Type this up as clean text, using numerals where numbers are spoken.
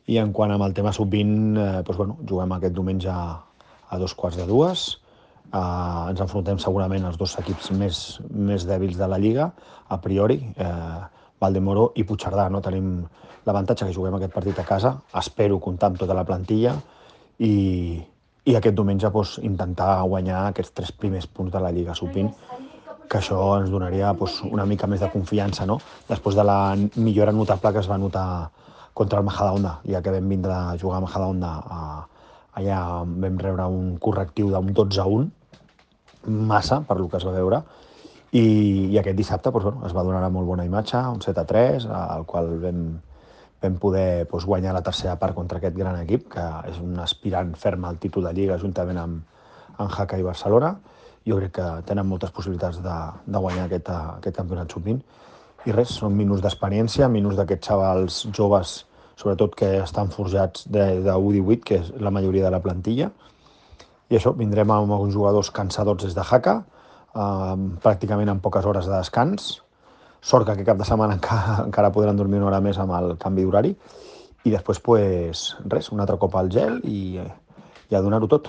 I en quant amb el tema sub-20, juguem aquest diumenge a 2:15. Ens enfrontem segurament als dos equips més dèbils de la Lliga, a priori, Valdemoro i Puigcerdà. No? Tenim l'avantatge que juguem aquest partit a casa, espero comptar amb tota la plantilla i aquest diumenge intentar guanyar aquests 3 primers punts de la Lliga sub-20, que això ens donaria una mica més de confiança, no? Després de la millora notable que es va notar contra el Majadahonda, ja que vam vindre a jugar a Majadahonda, allà vam rebre un correctiu d'un 12-1, massa per lo que es va veure, i aquest dissabte es va donar una molt bona imatge, un 7-3, al qual vam poder guanyar la tercera part contra aquest gran equip, que és un aspirant ferm al títol de Lliga juntament amb Jaca i Barcelona. Jo crec que tenen moltes possibilitats de guanyar aquest campionat sub-20. I res, són minuts d'experiència, minuts d'aquests xavals joves, sobretot que estan forjats de U18, que és la majoria de la plantilla. I això, vindrem amb alguns jugadors cansadors des de Jaca, pràcticament amb poques hores de descans. Sort que aquest cap de setmana encara podran dormir una hora més amb el canvi d'horari. I després, res, un altre cop al gel i a donar-ho tot.